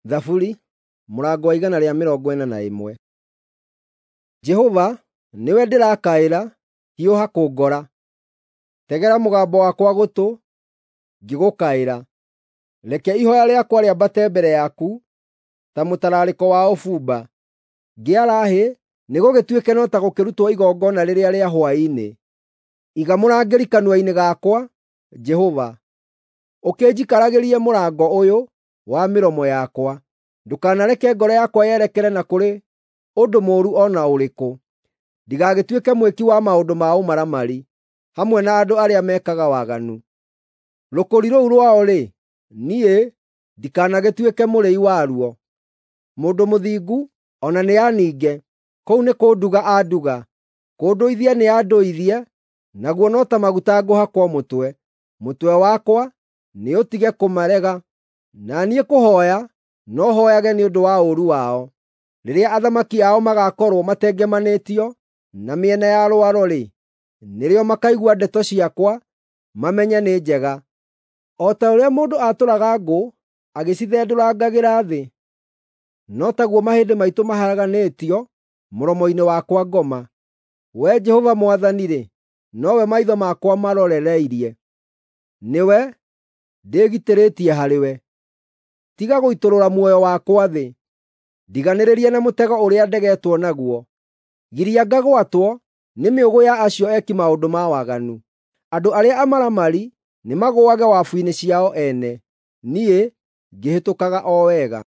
Thaburi mũrango wa 141. Jehova, nĩwe ndĩrakaĩra, hiũha kũngora. Tegera mũgambo wakwa gũtũ ngĩgũkaĩra. Reke ihooya rĩakwa rĩambate mbere yaku ta mũtararĩko wa ũbumba. Ngĩara hĩ, nĩgũgĩtuĩke no ta gũkĩrutwo igongona rĩrĩa rĩa hwaĩ-inĩ. Iga mũrangĩri kanua-inĩ gakwa, Jehova, ũkĩnjikaragĩrie mũrango ũyũ wa mĩromo yakwa. Ndũkanareke ngoro yakwa yerekere na kũrĩ ũndũ mũũru o na ũrĩkũ, ndigagĩtuĩke mwĩki wa maũndũ ma ũmaramari hamwe na andũ arĩa mekaga waganu. Rũkũri rũu rwao-rĩ, niĩ ndikanagĩtuĩke mũrĩi waruo. Mũndũ mũthingu o na nĩaninge, kũu nĩ kũnduga anduga; kũndũithia nĩandũithie, naguo no ta maguta ngũhakwo mũtwe. Mũtwe wakwa nĩũtige kũmarega, na niĩ kũhooya no hooyage nĩ ũndũ wa ũũru wao. Rĩrĩa athamaki ao magaakorwo matengemanĩtio na mĩena ya rwaro-rĩ, nĩrĩo makaigua ndeto ciakwa mamenye nĩ njega. O ta ũrĩa mũndũ aatũraga ngũ agĩcithendũrangagĩra thĩ, no taguo mahĩndĩ maitũ maharaganĩtio mũromo-inĩ wa kwa ngoma. Wee Jehova Mwathani-rĩ, nowe maitho makwa marorereirie; nĩwe ndĩgitĩrĩtie harĩwe. Tiga gũitũrũra muoyo wakwa thĩ; ndiganĩrĩrie na mũtego ũrĩa ndegetwo naguo. Giria ngagwatwo nĩ mĩũgũ ya acio eki maũndũ ma waganu. Andũ arĩa amaramari nĩmagũage wabu-inĩ ciao ene, niĩ ngĩhĩtũkaga o wega.